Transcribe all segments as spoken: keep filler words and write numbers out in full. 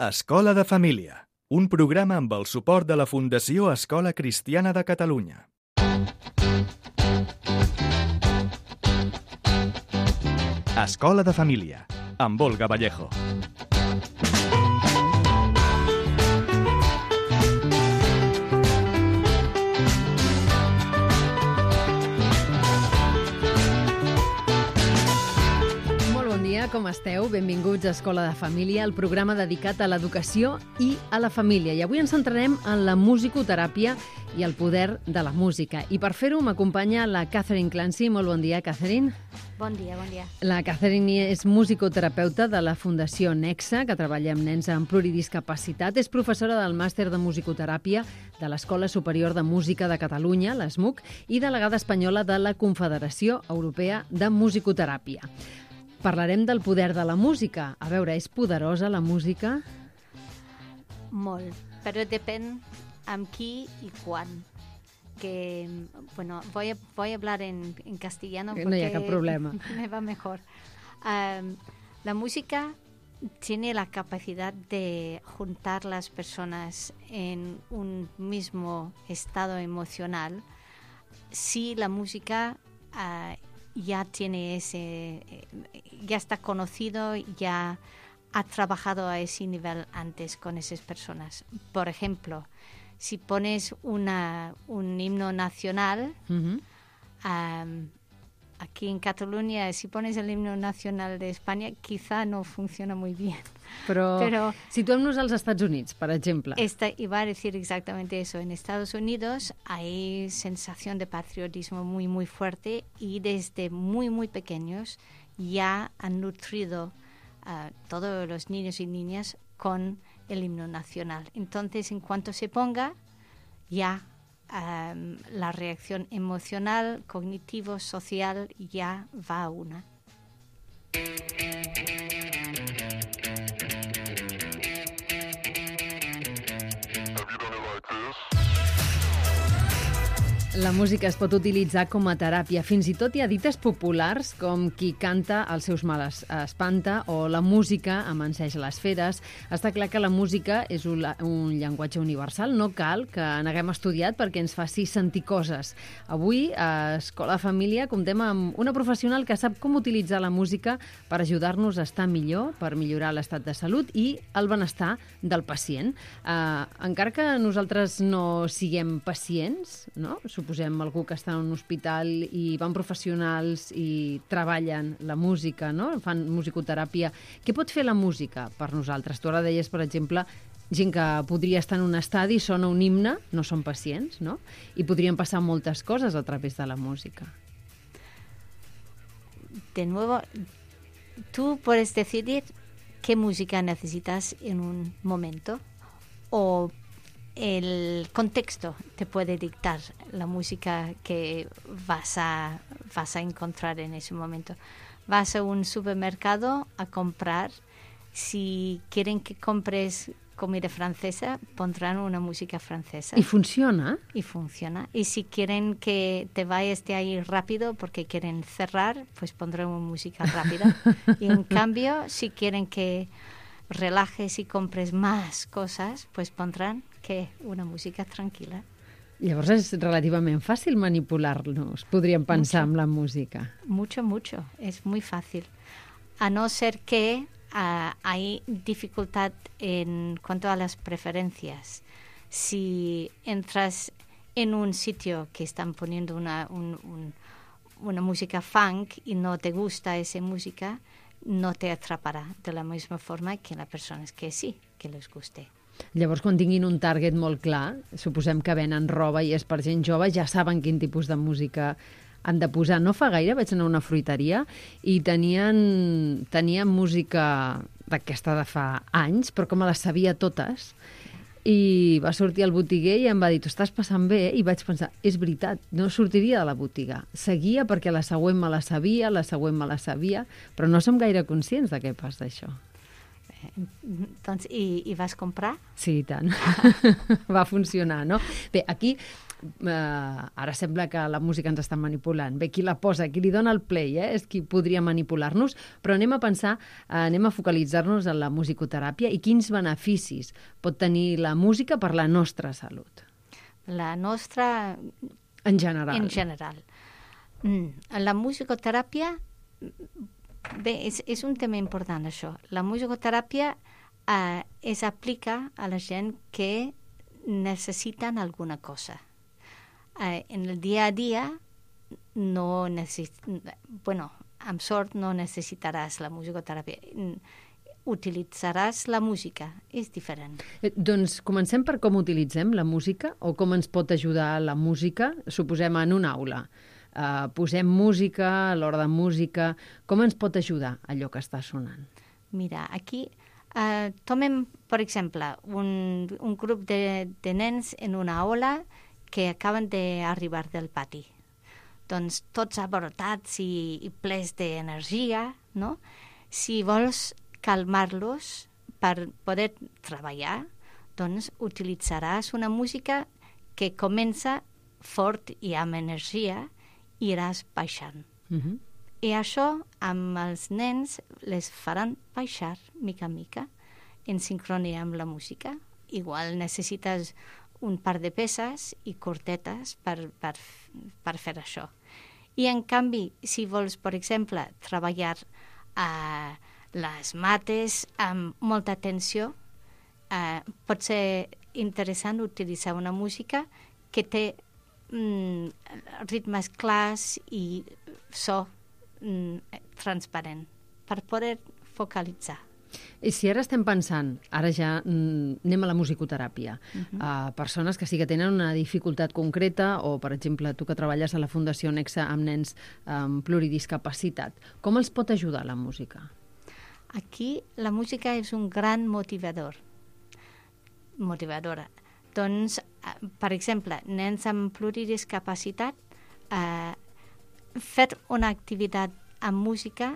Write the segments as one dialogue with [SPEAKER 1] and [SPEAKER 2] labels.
[SPEAKER 1] Escola de Família, un programa amb el suport de la Fundació Escola Cristiana de Catalunya. Escola de Família, amb Olga Vallejo.
[SPEAKER 2] Com esteu? Benvinguts a Escola de Família, el programa dedicat a l'educació i a la família. I avui ens centrarem en la musicoteràpia i el poder de la música. I per fer-ho m'acompanya la Catherine Clancy. Molt bon dia, Catherine.
[SPEAKER 3] Bon dia, bon dia.
[SPEAKER 2] La Catherine és musicoterapeuta de la Fundació Nexa, que treballa amb nens amb pluridiscapacitat. És professora del màster de musicoteràpia de l'Escola Superior de Música de Catalunya, l'ESMUC, i delegada espanyola de la Confederació Europea de Musicoteràpia. Parlarem del poder de la música. A veure, és poderosa la música?
[SPEAKER 3] Molt, però depèn amb qui y quan. Que, bueno, voy a, voy a hablar en, en castellano porque
[SPEAKER 2] no hi ha cap problema.
[SPEAKER 3] Me va mejor. Um, la música tiene la capacidad de juntar las personas en un mismo estado emocional si la música uh, ya tiene ese, ya está conocido, ya ha trabajado a ese nivel antes con esas personas. Por ejemplo, si pones una, un himno nacional, uh-huh. um, aquí en Cataluña, si pones el himno nacional de España, quizá no funciona muy bien.
[SPEAKER 2] Però, Però situem-nos als Estats Units, per exemple.
[SPEAKER 3] Esta, iba a decir exactamente eso. En Estados Unidos hay sensación de patriotismo muy, muy fuerte y desde muy, muy pequeños ya han nutrido a uh, todos los niños y niñas con el himno nacional. Entonces, en cuanto se ponga, ya um, la reacción emocional, cognitivo, social, ya va a una.
[SPEAKER 2] La música es pot utilitzar com a teràpia. Fins i tot hi ha dites populars com qui canta els seus males espanta o la música amanseix les feres. Està clar que la música és un, un llenguatge universal. No cal que n'haguem estudiat perquè ens faci sentir coses. Avui, a Escola de Família, comptem amb una professional que sap com utilitzar la música per ajudar-nos a estar millor, per millorar l'estat de salut i el benestar del pacient. Uh, encara que nosaltres no siguem pacients, no?, posem algú que està en un hospital i van professionals i treballen la música, no? Fan musicoteràpia. Què pot fer la música per nosaltres? Tu ara deies, per exemple, gent que podria estar en un estadi, sona un himne, no són pacients, no? I podrien passar moltes coses a través de la música.
[SPEAKER 3] De nuevo, tú puedes decidir qué música necesitas en un momento o el contexto te puede dictar la música que vas a, vas a encontrar en ese momento. Vas a un supermercado a comprar. Si quieren que compres comida francesa, pondrán una música francesa.
[SPEAKER 2] ¿Y funciona?
[SPEAKER 3] Y funciona. Y si quieren que te vayas de ahí rápido porque quieren cerrar, pues pondrán una música rápida. Y en cambio, si quieren que relajes y compres más cosas, pues pondrán que una música tranquil·la.
[SPEAKER 2] Llavors és relativament fàcil manipular-nos, podríem pensar mucho, amb la música.
[SPEAKER 3] Mucho, mucho. Es muy fácil. A no ser que uh, hay dificultad en cuanto a las preferencias. Si entras en un sitio que están poniendo una, un, un, una música funk y no te gusta esa música, no te atraparà de la misma forma que les persones que sí, que les guste.
[SPEAKER 2] Llavors, quan tinguin un target molt clar, suposem que venen roba i és per gent jove, ja saben quin tipus de música han de posar. No fa gaire vaig anar a una fruiteria i tenien, tenien música d'aquesta de fa anys, però com me les sabia totes, i va sortir el botiguer i em va dir, tu estàs passant bé, i vaig pensar, és veritat, no sortiria de la botiga. Seguia perquè la següent me la sabia, la següent me la sabia, però no som gaire conscients de què passa això.
[SPEAKER 3] Doncs, i, i vas comprar?
[SPEAKER 2] Sí, i tant. Va funcionar, no? Bé, aquí eh, ara sembla que la música ens està manipulant. Bé, qui la posa, qui li dona el play, eh, és qui podria manipular-nos, però anem a pensar, eh, anem a focalitzar-nos en la musicoteràpia i quins beneficis pot tenir la música per la nostra salut.
[SPEAKER 3] La nostra...
[SPEAKER 2] En general.
[SPEAKER 3] En general. Mm. La musicoteràpia, bé, és, és un tema important, això. La musicoteràpia eh, es aplica a la gent que necessiten alguna cosa. Eh, en el dia a dia no necessit... Bueno, amb sort no necessitaràs la musicoteràpia. Utilitzaràs la música, és diferent.
[SPEAKER 2] Eh, doncs comencem per com utilitzem la música o com ens pot ajudar la música, suposem en una aula. Uh, posem música, a l'hora de música, com ens pot ajudar allò que està sonant?
[SPEAKER 3] Mira, aquí uh, tomem, per exemple, un, un grup de, de nens en una aula que acaben d'arribar del pati. Doncs tots abrotats i, i plens d'energia, no? Si vols calmar-los per poder treballar, doncs utilitzaràs una música que comença fort i amb energia i iràs baixant.
[SPEAKER 2] Uh-huh.
[SPEAKER 3] I això amb els nens les faran baixar mica en mica en sincronia amb la música. Igual necessites un par de peces i cortetes per, per, per fer això. I en canvi, si vols, per exemple, treballar a les mates amb molta tensió, eh, pot ser interessant utilitzar una música que té mm, ritmes clars i so mm, transparent per poder focalitzar.
[SPEAKER 2] I si ara estem pensant, ara ja mm, anem a la musicoteràpia,
[SPEAKER 3] Uh-huh.
[SPEAKER 2] a persones que sí que tenen una dificultat concreta o, per exemple, tu que treballes a la Fundació Nexa amb nens amb pluridiscapacitat, com els pot ajudar la música?
[SPEAKER 3] Aquí la música és un gran motivador. Motivadora. Doncs, per exemple, nens amb pluridiscapacitat, eh, fer una activitat amb música,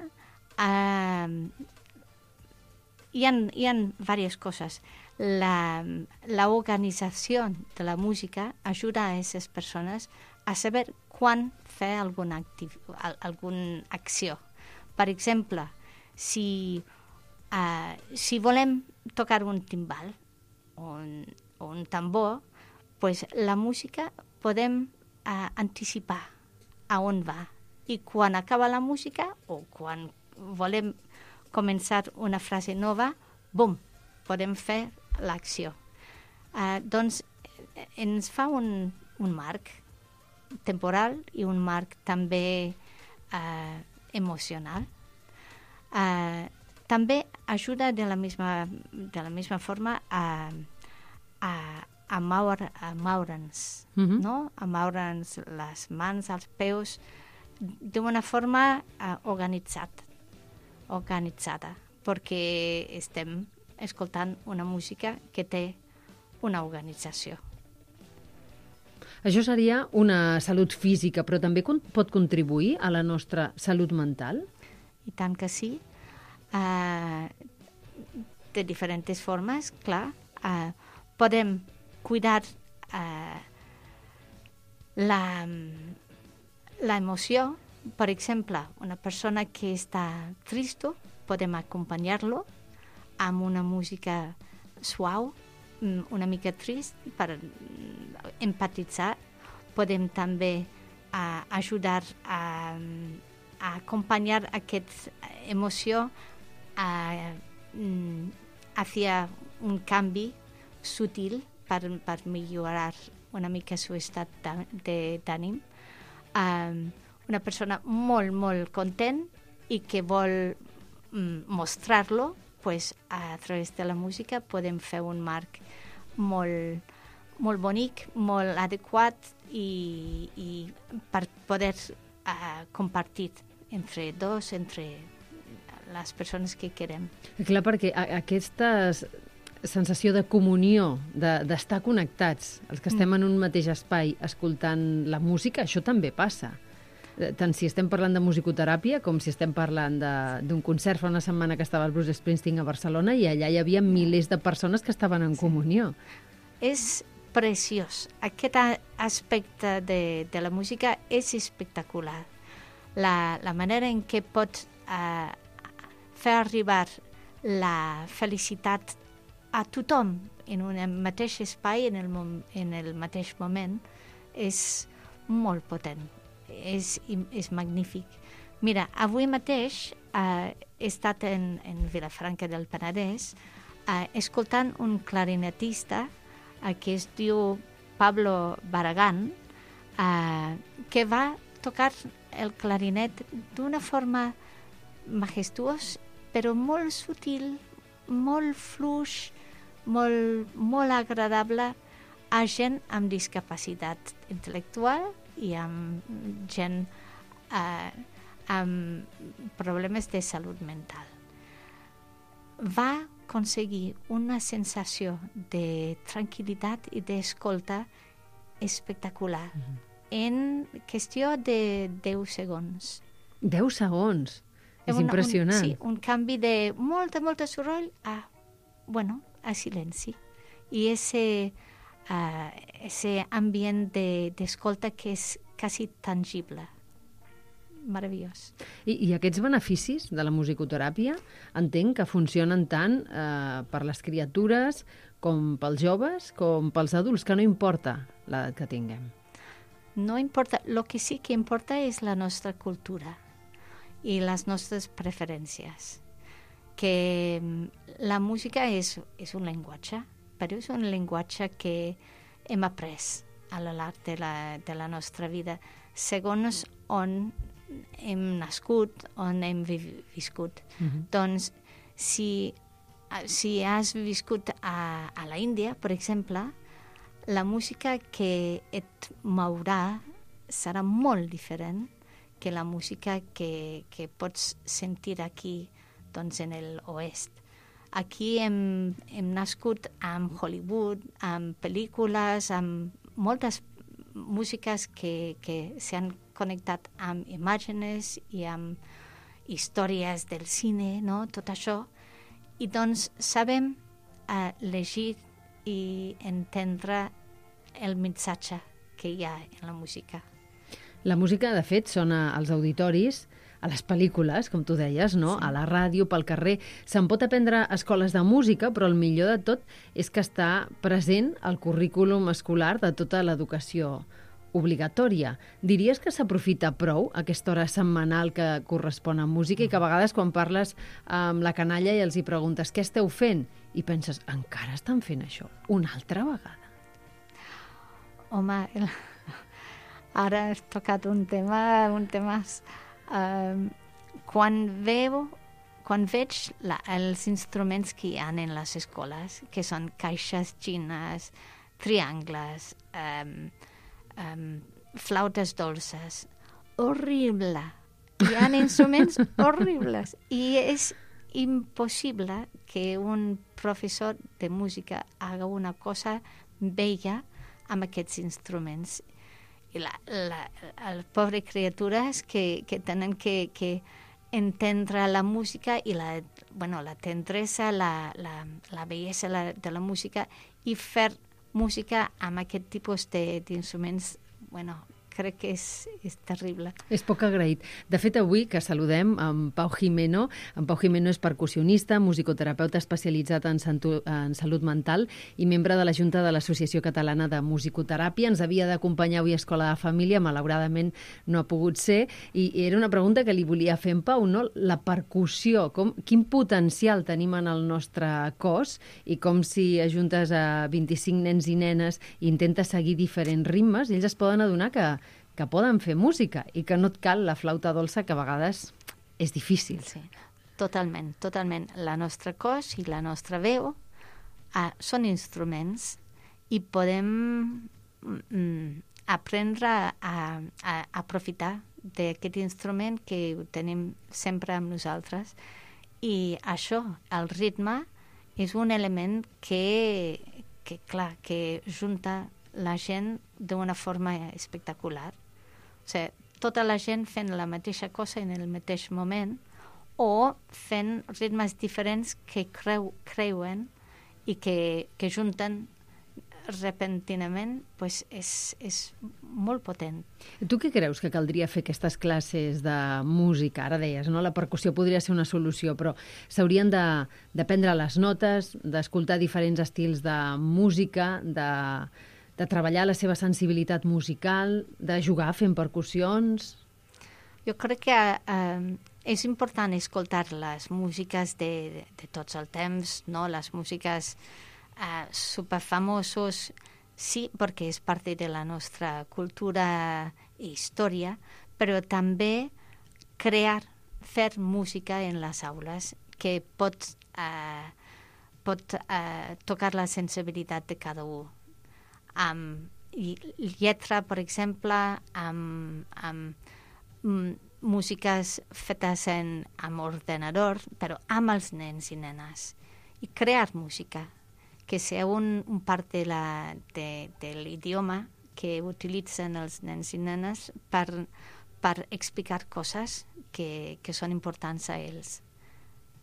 [SPEAKER 3] eh, hi ha, hi ha diverses coses. La, la organització de la música ajuda a aquestes persones a saber quan fer alguna, activ, alguna acció. Per exemple, si, uh, si volem tocar un timbal o un, o un tambor, pues la música podem uh, anticipar a on va. I quan acaba la música o quan volem començar una frase nova, bum, podem fer l'acció. Uh, doncs ens fa un, un marc temporal i un marc també uh, emocional. Uh, també ajuda de la misma, de la misma forma a, a, a, moure, a moure'ns,
[SPEAKER 2] Uh-huh.
[SPEAKER 3] no? A moure'ns les mans, els peus, d'una forma uh, organitzat, organitzada, perquè estem escoltant una música que té una organització.
[SPEAKER 2] Això seria una salut física, però també con- pot contribuir a la nostra salut mental?
[SPEAKER 3] I tant que sí. Uh, de diferents formes, clar. Uh, podem cuidar uh, la, la emoció. Per exemple, una persona que està trista, podem acompanyar-lo amb una música suau, una mica trist, per empatitzar. Podem també uh, ajudar a, a acompanyar aquesta emoció a, mm, hacia un canvi sutil per, per millorar una mica el seu estat d'ànim. Um, una persona molt, molt content i que vol mm, mostrar-lo, pues, a través de la música podem fer un marc molt, molt bonic, molt adequat i, i per poder uh, compartir entre dos, entre les persones que querem.
[SPEAKER 2] Clar, perquè a- aquesta sensació de comunió, de- d'estar connectats, els que estem en un mateix espai escoltant la música, això també passa. Eh, Tant si estem parlant de musicoteràpia com si estem parlant de- d'un concert fa una setmana que estava el Bruce Springsteen a Barcelona i allà hi havia milers de persones que estaven en comunió.
[SPEAKER 3] És preciós. Aquest aspecte de, de la música és espectacular. La, la manera en què pots uh, fer arribar la felicitat a tothom en un mateix espai, en el, mom, en el mateix moment, és molt potent, és, és magnífic. Mira, avui mateix uh, he estat en, en Vilafranca del Penedès uh, escoltant un clarinetista uh, que es diu Pablo Barragán, uh, que va tocar el clarinet d'una forma majestuosa, però molt sutil, molt fluix, molt, molt agradable a gent amb discapacitat intel·lectual i amb gent eh, amb problemes de salut mental. Va aconseguir una sensació de tranquil·litat i d'escolta espectacular mm-hmm. en qüestió de deu segons.
[SPEAKER 2] Deu segons? És
[SPEAKER 3] una,
[SPEAKER 2] impressionant.
[SPEAKER 3] Un, sí, un canvi de molta, molta soroll a, bueno, a silenci. I ese, uh, ese ambient d'escolta de, que és quasi tangible. Meravellós.
[SPEAKER 2] I, I aquests beneficis de la musicoteràpia entenc que funcionen tant eh, per les criatures com pels joves com pels adults, que no importa l'edat que tinguem.
[SPEAKER 3] No importa. El que sí que importa és la nostra cultura i les nostres preferències. Que la música és, és un llenguatge, però és un llenguatge que hem après a lo llarg de la, de la nostra vida, segons on hem nascut, on hem viscut. Mm-hmm. Doncs, si, si has viscut a, a la Índia, per exemple, la música que et mourà serà molt diferent que la música que, que pots sentir aquí, doncs, en l'oest. Aquí hem, hem nascut amb Hollywood, amb pel·lícules, amb moltes músiques que, que s'han connectat amb imàgenes i amb històries del cine, no? Tot això. I doncs sabem uh, llegir i entendre el missatge que hi ha en la música.
[SPEAKER 2] La música, de fet, sona als auditoris, a les pel·lícules, com tu deies, no? Sí. A la ràdio, pel carrer. Se'n pot aprendre a escoles de música, però el millor de tot és que està present al currículum escolar de tota l'educació obligatòria. Diries que s'aprofita prou aquesta hora setmanal que correspon a música i que a vegades quan parles amb la canalla i els hi preguntes què esteu fent? I penses, encara estan fent això? Una altra vegada?
[SPEAKER 3] Home, el... ara has tocat un tema, un tema uh, quan veu, quan veig la, els instruments que hi ha en les escoles, que són caixes xines, triangles, um, um, flautes dolces, horrible. Hi ha instruments horribles i és impossible que un professor de música haga una cosa bella amb aquests instruments. I la, la, les pobres criatures que, que tenen que, que entendre la música i la, bueno, la tendresa, la, la, la bellesa la, de la música i fer música amb aquest tipus d'instruments, bueno, crec que és, és terrible.
[SPEAKER 2] És poc agraït. De fet, avui que saludem en Pau Jimeno, en Pau Jimeno és percussionista, musicoterapeuta especialitzat en, santu, en salut mental i membre de la Junta de l'Associació Catalana de Musicoteràpia. Ens havia d'acompanyar avui a Escola de Família, malauradament no ha pogut ser, i era una pregunta que li volia fer en Pau, no? La percussió, com, quin potencial tenim en el nostre cos i com si ajuntes a vint-i-cinc nens i nenes i intentes seguir diferents ritmes, ells es poden adonar que que poden fer música i que no et cal la flauta dolça, que a vegades és difícil.
[SPEAKER 3] Sí, totalment, totalment. La nostra cos i la nostra veu uh, són instruments i podem mm, aprendre a, a, a aprofitar d'aquest instrument que ho tenim sempre amb nosaltres. I això, el ritme, és un element que, que clar, que junta la gent d'una forma espectacular. O sigui, tota la gent fent la mateixa cosa en el mateix moment o fent ritmes diferents que creu, creuen i que, que junten repentinament pues, és, és molt potent.
[SPEAKER 2] Tu què creus que caldria fer aquestes classes de música? Ara deies, no? La percussió podria ser una solució, però s'haurien de, de prendre les notes, d'escoltar diferents estils de música, de, de treballar la seva sensibilitat musical, de jugar fent percussions...
[SPEAKER 3] Jo crec que eh, és important escoltar les músiques de, de, de tots els temps, no? Les músiques eh, superfamosos, sí, perquè és part de la nostra cultura i història, però també crear, fer música en les aules que pot, eh, pot eh, tocar la sensibilitat de cada un. Amb lletra, per exemple, amb... amb músiques fetes en, amb ordenador, però amb els nens i nenes. I crear música, que sigui un, un part de, la, de, de l'idioma que utilitzen els nens i nenes per, per explicar coses que, que són importants a ells.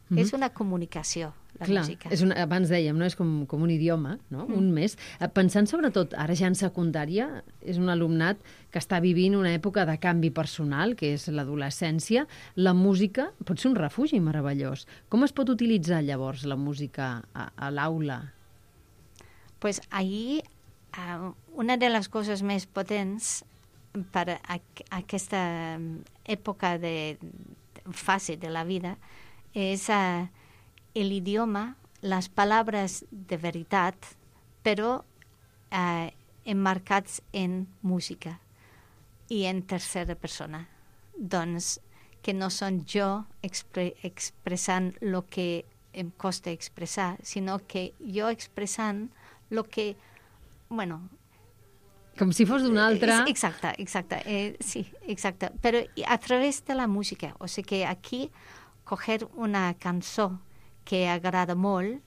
[SPEAKER 3] Mm-hmm. És una comunicació, la
[SPEAKER 2] Clar,
[SPEAKER 3] música.
[SPEAKER 2] És una, abans dèiem, no? És com, com un idioma, no? Mm. Un més. Pensant sobretot, ara ja en secundària, és un alumnat que està vivint una època de canvi personal, que és l'adolescència. La música pot ser un refugi meravellós. Com es pot utilitzar llavors la música a, a l'aula?
[SPEAKER 3] Pues ahir, uh, una de les coses més potents per a, a aquesta època de, de fase de la vida és uh, l'idioma, les paraules de veritat, però uh, emmarcats en música i en tercera persona. Doncs que no són jo expre expressant el que em costa expressar, sinó que jo expressant el que, bueno...
[SPEAKER 2] Com si fos d'una altra...
[SPEAKER 3] Exacte, exacte, eh, sí, exacte. Però a través de la música, o sigui que aquí coger una cançó que agrada molt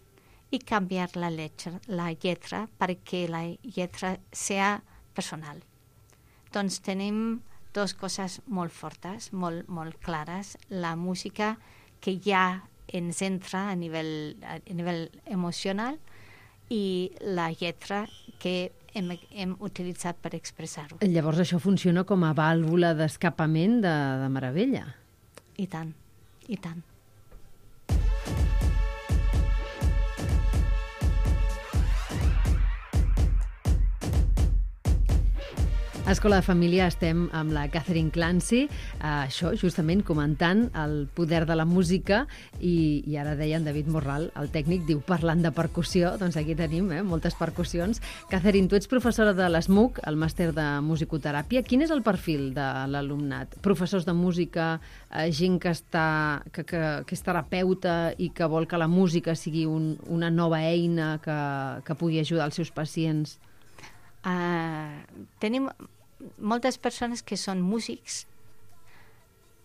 [SPEAKER 3] i canviar la lletra, la lletra perquè la lletra sigui personal. Doncs tenim dues coses molt fortes, molt, molt clares. La música que ja ens entra a nivell, a nivell emocional i la lletra que hem, hem utilitzat per expressar-ho.
[SPEAKER 2] Llavors això funciona com a vàlvula d'escapament de, de meravella.
[SPEAKER 3] I tant. I tant.
[SPEAKER 2] A Escola de Família estem amb la Catherine Clancy, eh, això justament comentant el poder de la música i, i ara deia en David Morral, el tècnic, diu parlant de percussió, doncs aquí tenim eh, moltes percussions. Catherine, tu ets professora de l'ESMUC, el màster de musicoteràpia. Quin és el perfil de l'alumnat? Professors de música, eh, gent que, està, que, que, que és terapeuta i que vol que la música sigui un, una nova eina que, que pugui ajudar els seus pacients?
[SPEAKER 3] Uh, tenim moltes persones que són músics,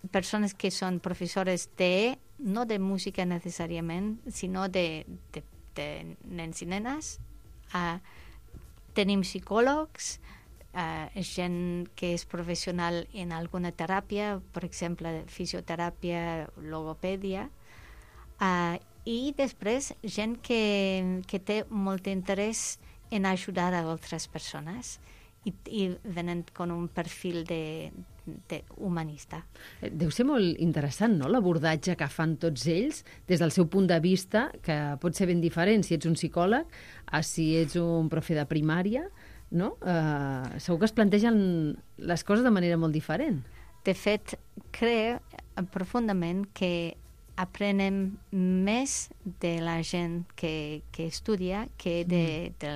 [SPEAKER 3] persones que són professores de, no de música necessàriament, sinó de, de, de nens i nenes. Uh, tenim psicòlegs, uh, gent que és professional en alguna teràpia, per exemple, fisioteràpia, logopèdia, uh, i després gent que, que té molt interès en ajudar a altres persones i, i venen con un perfil de, de humanista.
[SPEAKER 2] Deu ser molt interessant, no?, l'abordatge que fan tots ells des del seu punt de vista, que pot ser ben diferent si ets un psicòleg a si ets un profe de primària, no? Uh, segur que es plantegen les coses de manera molt diferent.
[SPEAKER 3] De fet, crec profundament que aprenem més de la gent que, que estudia que de, de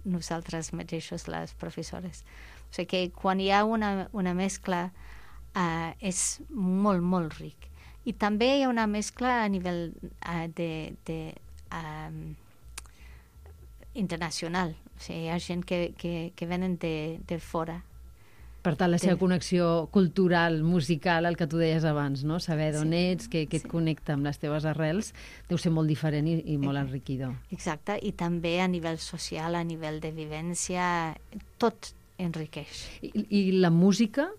[SPEAKER 3] nosaltres mateixos, les professores. O sigui que quan hi ha una, una mescla uh, és molt, molt ric. I també hi ha una mescla a nivell uh, de, de, um, internacional. O sigui, hi ha gent que, que, que venen de, de fora.
[SPEAKER 2] Per tant, la seva connexió cultural, musical, el que tu deies abans, no? Saber d'on
[SPEAKER 3] sí,
[SPEAKER 2] ets, que, que et
[SPEAKER 3] sí.
[SPEAKER 2] connecta amb les teves arrels, deu ser molt diferent i, i molt enriquidor.
[SPEAKER 3] Exacte, i també a nivell social, a nivell de vivència, tot enriqueix.
[SPEAKER 2] I, i la música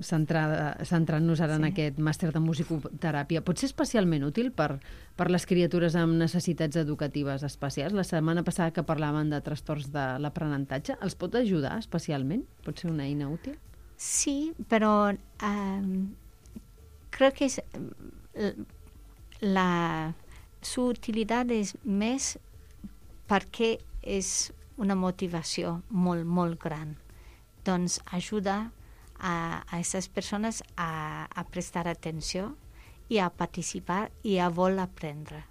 [SPEAKER 2] centrant-nos ara sí. en aquest màster de musicoteràpia, pot ser especialment útil per, per les criatures amb necessitats educatives especials? La setmana passada que parlaven de trastorns de l'aprenentatge, els pot ajudar especialment? Pot ser una eina útil?
[SPEAKER 3] Sí, però um, creo que es, la, su utilidad és més perquè és una motivació molt, molt gran. Doncs ajuda a, a aquestes persones a, a prestar atenció i a participar i a voler aprendre.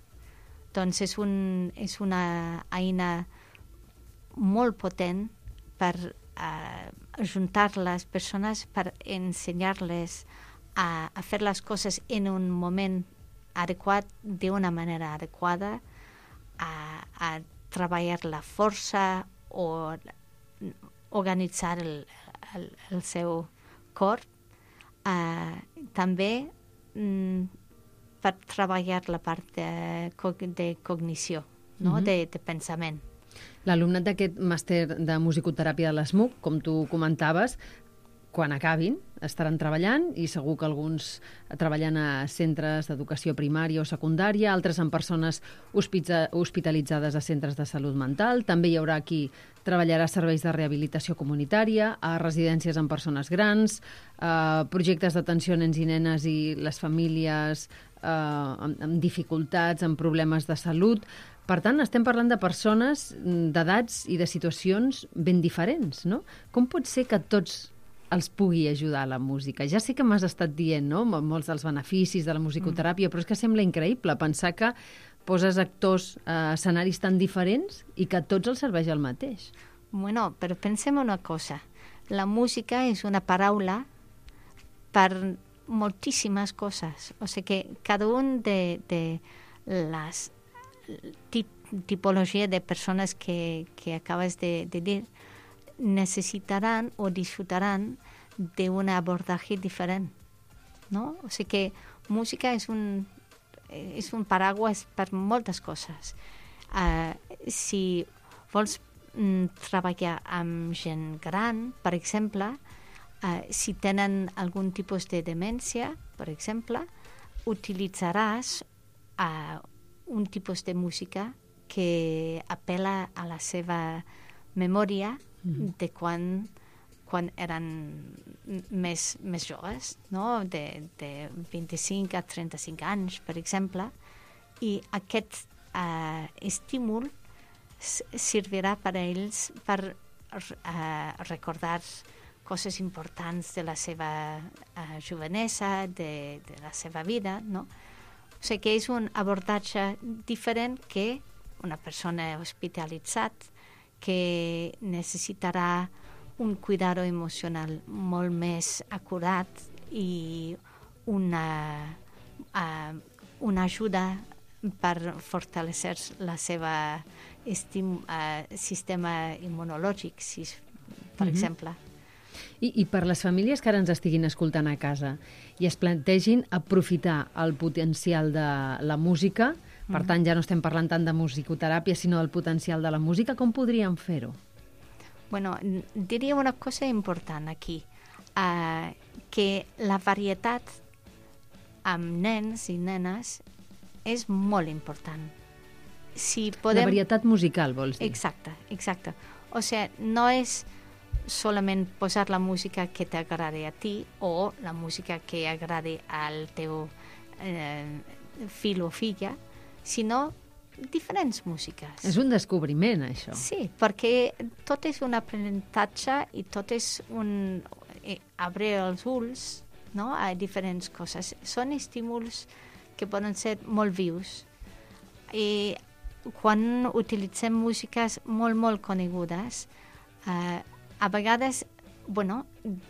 [SPEAKER 3] Doncs és, un, és una eina molt potent per uh, ajuntar les persones, per ensenyar-les a, a fer les coses en un moment adequat, d'una manera adequada, a, a treballar la força o organitzar el, el, el seu cor. Uh, també mm, per treballar la part de, de cognició, no? Mm-hmm. de, de pensament.
[SPEAKER 2] L'alumnat d'aquest màster de musicoteràpia de l'ESMUC, com tu comentaves, quan acabin estaran treballant i segur que alguns treballen a centres d'educació primària o secundària, altres en persones hospitalitzades a centres de salut mental. També hi haurà qui treballarà a serveis de rehabilitació comunitària, a residències amb persones grans, a projectes d'atenció a nens i nenes i les famílies eh, amb, amb dificultats, amb problemes de salut. Per tant, estem parlant de persones, d'edats i de situacions ben diferents, no? Com pot ser que tots els pugui ajudar la música? Ja sé que m'has estat dient, no?, molts dels beneficis de la musicoteràpia, mm. però és que sembla increïble pensar que poses actors a escenaris tan diferents i que a tots els serveix el mateix.
[SPEAKER 3] Bueno, però pensem una cosa. La música és una paraula per moltíssimes coses. O sigui que cada un de, de les tip, tipologia de persones que, que acabes de, de dir necesitarán o disfrutarán de un abordaje diferente, ¿no? O sea que música es un, es un paraguas per moltes coses. Uh, si vols mm, treballar amb gent gran, per exemple, uh, si tenen algun tipus de demència, per exemple, utilitzaràs uh, un tipus de música que apela a la seva memòria de quan, quan eren més, més joves, no? de, de vint-i-cinc a trenta-cinc anys, per exemple, i aquest uh, estímul servirà per a ells per uh, recordar coses importants de la seva uh, jovenesa, de, de la seva vida, no? O sigui que és un abordatge diferent que una persona hospitalitzada que necessitarà un cuidado emocional molt més acurat i una, uh, una ajuda per fortalecer la seva estim, uh, sistema immunològic, si, per mm-hmm. exemple.
[SPEAKER 2] I, I per les famílies que ara ens estiguin escoltant a casa i es plantegin aprofitar el potencial de la música, per tant, ja no estem parlant tant de musicoteràpia, sinó del potencial de la música. Com podríem fer-ho?
[SPEAKER 3] Bueno, diria una cosa important aquí, uh, que la varietat amb nens i nenes és molt important. Si podem...
[SPEAKER 2] La varietat musical, vols dir?
[SPEAKER 3] Exacte, exacte. O sigui, no és solament posar la música que t'agradi a ti o la música que agradi al teu eh, fill o filla, sinó diferents músiques.
[SPEAKER 2] És un descobriment, això.
[SPEAKER 3] Sí, perquè tot és un aprenentatge i tot és un... Eh, obrir els ulls, no?, a diferents coses. Són estímuls que poden ser molt vius. I quan utilitzem músiques molt, molt conegudes, eh, a vegades, bueno,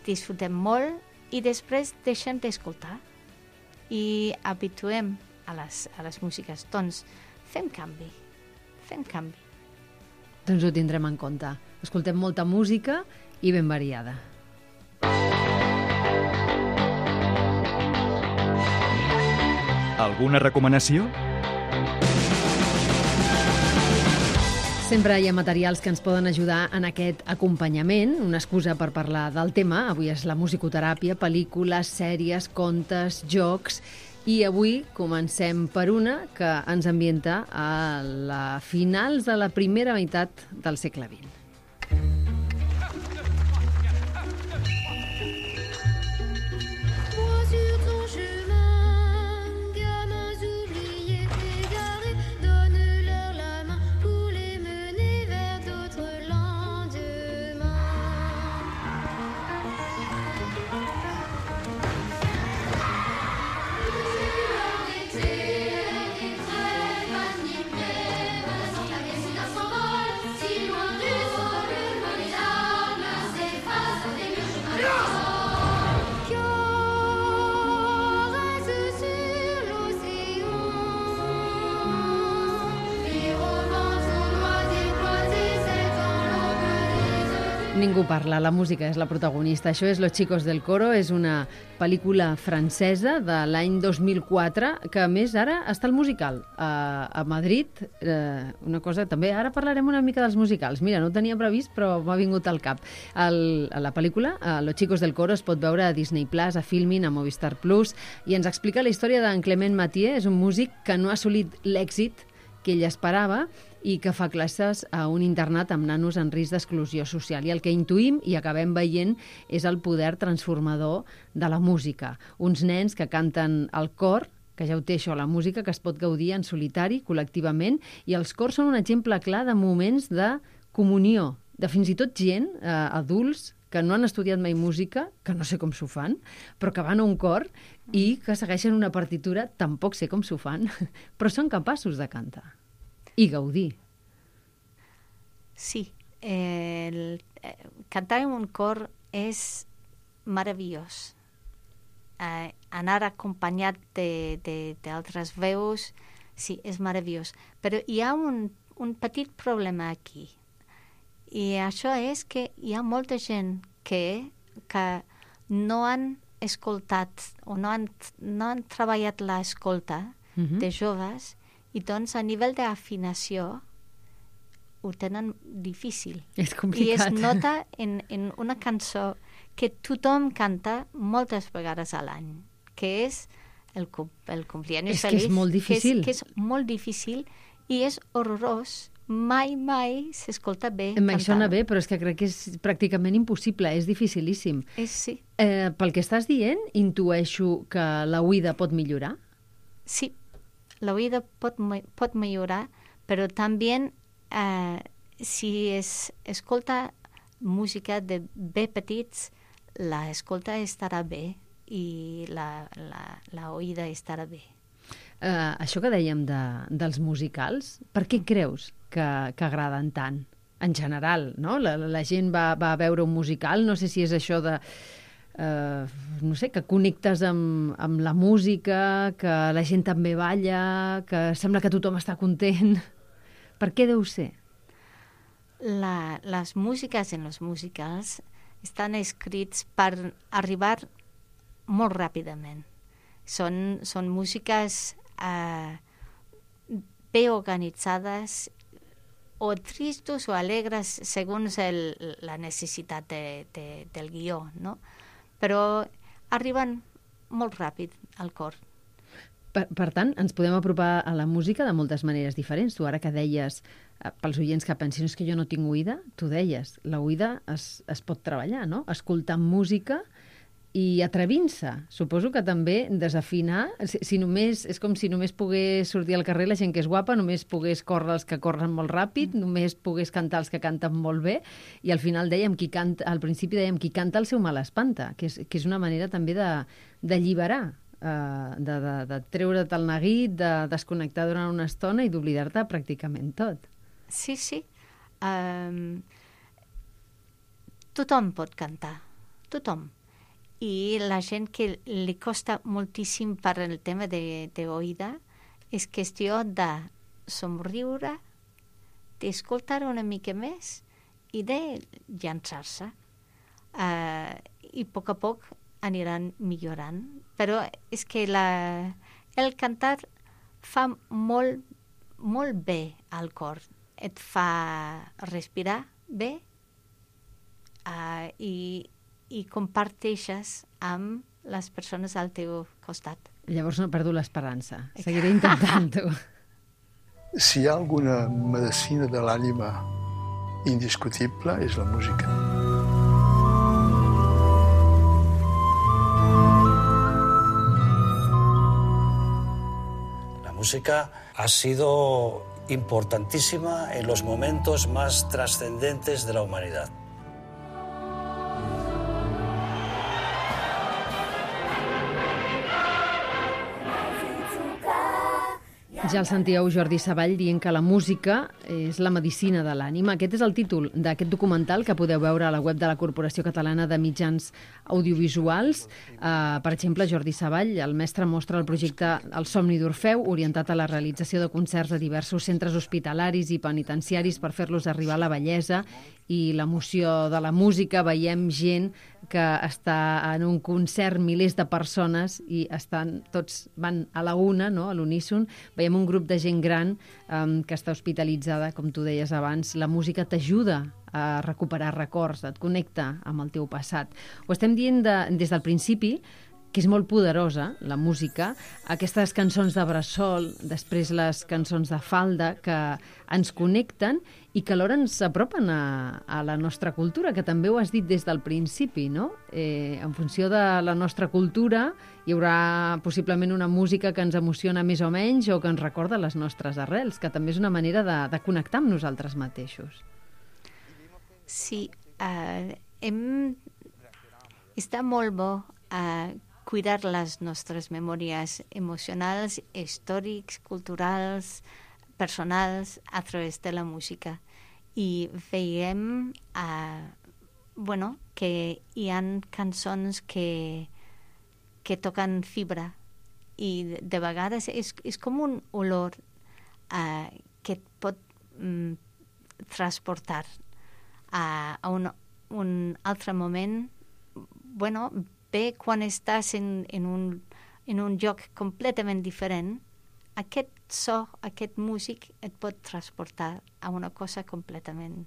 [SPEAKER 3] disfrutem molt i després deixem d'escoltar i habituem a les, a les músiques. Doncs fem canvi, fem canvi.
[SPEAKER 2] Doncs ho tindrem en compte. Escoltem molta música i ben variada.
[SPEAKER 1] Alguna recomanació?
[SPEAKER 2] Sempre hi ha materials que ens poden ajudar en aquest acompanyament, una excusa per parlar del tema. Avui és la musicoteràpia, pel·lícules, sèries, contes, jocs. I avui comencem per una que ens ambienta a la finals de la primera meitat del segle vint. Ningú parla, la música és la protagonista. Això és Los chicos del coro, és una pel·lícula francesa de l'any dos mil quatre, que a més ara està al musical a, a Madrid. Eh, una cosa també, ara parlarem una mica dels musicals. Mira, no ho tenia previst, però m'ha vingut al cap. El, la pel·lícula, Los chicos del coro, es pot veure a Disney Plus, a Filmin, a Movistar Plus, i ens explica la història d'en Clement Mathieu. És un músic que no ha assolit l'èxit que ell esperava i que fa classes a un internat amb nanos en risc d'exclusió social. I el que intuïm i acabem veient és el poder transformador de la música. Uns nens que canten al cor, que ja ho té això, la música, que es pot gaudir en solitari, col·lectivament, i els cors són un exemple clar de moments de comunió, de fins i tot gent, eh, adults, que no han estudiat mai música, que no sé com s'ho fan, però que van a un cor i que segueixen una partitura, tampoc sé com s'ho fan, però són capaços de cantar i gaudir.
[SPEAKER 3] Sí, el, eh, cantar en un cor és meravellós. Eh, anar acompanyat d'altres veus, sí, és meravellós. Però hi ha un, un petit problema aquí. I això és que hi ha molta gent que, que no han escoltat o no han, no han treballat l'escolta uh-huh. de joves, i doncs a nivell d'afinació ho tenen difícil.
[SPEAKER 2] És complicat.
[SPEAKER 3] I es nota en, en una cançó que tothom canta moltes vegades a l'any, que és el, el Cumpleaños
[SPEAKER 2] és
[SPEAKER 3] Feliz.
[SPEAKER 2] És que és molt difícil.
[SPEAKER 3] Que és, que és molt difícil i és horrorós. Mai, mai s'escolta bé
[SPEAKER 2] Em
[SPEAKER 3] cantant.
[SPEAKER 2] sona bé, però és que crec que és pràcticament impossible, és dificilíssim.
[SPEAKER 3] És, sí.
[SPEAKER 2] Eh, pel que estàs dient, intueixo que la oïda pot millorar?
[SPEAKER 3] Sí, la oïda pot, pot millorar, però també eh, si es escolta música de bé petits, la escolta estarà bé i la, la, la oïda estarà bé.
[SPEAKER 2] Uh, això que dèiem de, dels musicals, per què creus que, que agraden tant? En general, no? La, la gent va, va a veure un musical, no sé si és això de... Uh, no sé, que connectes amb, amb la música, que la gent també balla, que sembla que tothom està content. Per què deu ser?
[SPEAKER 3] La, les músiques en els musicals estan escrits per arribar molt ràpidament. Són, són músiques eh, bé organitzades o tristos o alegres segons el, la necessitat de, de, del guió, no? Però arriben molt ràpid al cor.
[SPEAKER 2] Per, per tant, ens podem apropar a la música de moltes maneres diferents. Tu ara que deies, eh, pels oients que pensin és que jo no tinc oïda, tu deies, la oïda es, es pot treballar, no? Escoltar música i atrevint-se. Suposo que també desafinar, si, si només, és com si només pogués sortir al carrer la gent que és guapa, només pogués córrer els que corren molt ràpid, només pogués cantar els que canten molt bé, i al final dèiem, qui canta, al principi dèiem, qui canta el seu mal espanta, que és, que és una manera també de, d'alliberar, eh, de, de, de treure't el neguit, de desconnectar durant una estona i d'oblidar-te pràcticament tot.
[SPEAKER 3] Sí, sí. Um, tothom pot cantar, tothom. I la gent que li costa moltíssim per el tema de, de oïda és qüestió de somriure, d'escoltar una mica més i de llançar-se. Uh, I a poc a poc aniran millorant. Però és que la, el cantar fa molt, molt bé al cor. et fa respirar bé uh, i, i comparteixes amb les persones al teu costat.
[SPEAKER 2] Llavors no perdo l'esperança. Seguiré intentant-ho.
[SPEAKER 4] Si hi ha alguna medicina de l'ànima indiscutible, és la música.
[SPEAKER 5] La música ha sido importantísima en los momentos más trascendentes de la humanidad.
[SPEAKER 2] Ja el sentíeu Jordi Savall dient que la música és la medicina de l'ànima. Aquest és el títol d'aquest documental que podeu veure a la web de la Corporació Catalana de Mitjans Audiovisuals. Uh, per exemple, Jordi Savall, el mestre, mostra el projecte El somni d'Orfeu, orientat a la realització de concerts a diversos centres hospitalaris i penitenciaris per fer-los arribar a la bellesa i l'emoció de la música. Veiem gent que està en un concert, milers de persones, i estan tots van a la una, no? A l'uníson. Veiem un grup de gent gran um, que està hospitalitzada, com tu deies abans. La música t'ajuda a recuperar records, et connecta amb el teu passat. Ho estem dient de, des del principi, que és molt poderosa, la música, aquestes cançons de bressol, després les cançons de falda, que ens connecten i que alhora ens apropen a, a la nostra cultura, que també ho has dit des del principi, no? Eh, en funció de la nostra cultura hi haurà possiblement una música que ens emociona més o menys o que ens recorda les nostres arrels, que també és una manera de, de connectar amb nosaltres mateixos.
[SPEAKER 3] Sí, uh, hem... està molt bo uh, cuidar les nostres memòries emocionals, històrics, culturals, personals, a través de la música. I veiem uh, bueno, que hi ha cançons que, que toquen fibra i de, de vegades és, és com un olor uh, que et pot um, transportar a, a un, un altre moment. Bueno, bé, quan estàs en, en, un, en un lloc completament diferent, aquest so, aquest músic et pot transportar a una cosa completament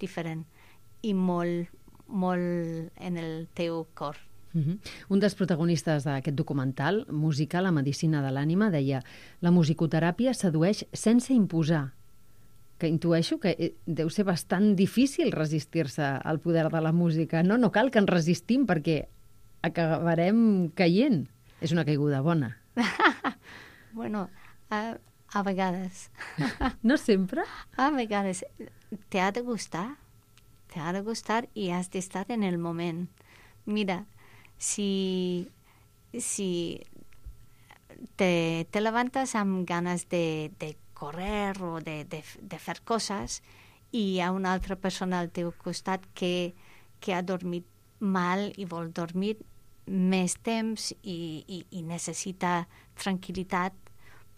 [SPEAKER 3] diferent i molt, molt en el teu cor.
[SPEAKER 2] Uh-huh. Un dels protagonistes d'aquest documental, Música, la medicina de l'ànima, deia: la musicoteràpia sedueix sense imposar, que intueixo que deu ser bastant difícil resistir-se al poder de la música. No, no cal que ens resistim perquè acabarem caient. És una caiguda bona.
[SPEAKER 3] Bueno, a, a vegades.
[SPEAKER 2] No sempre?
[SPEAKER 3] A vegades. Te ha de gustar. Te ha de gustar i has d'estar en el moment. Mira, si, si te, te levantes amb ganes de, de correr o de, de, de fer coses i hi ha una altra persona al teu costat que, que ha dormit mal i vol dormir més temps i, i, i necessita tranquil·litat,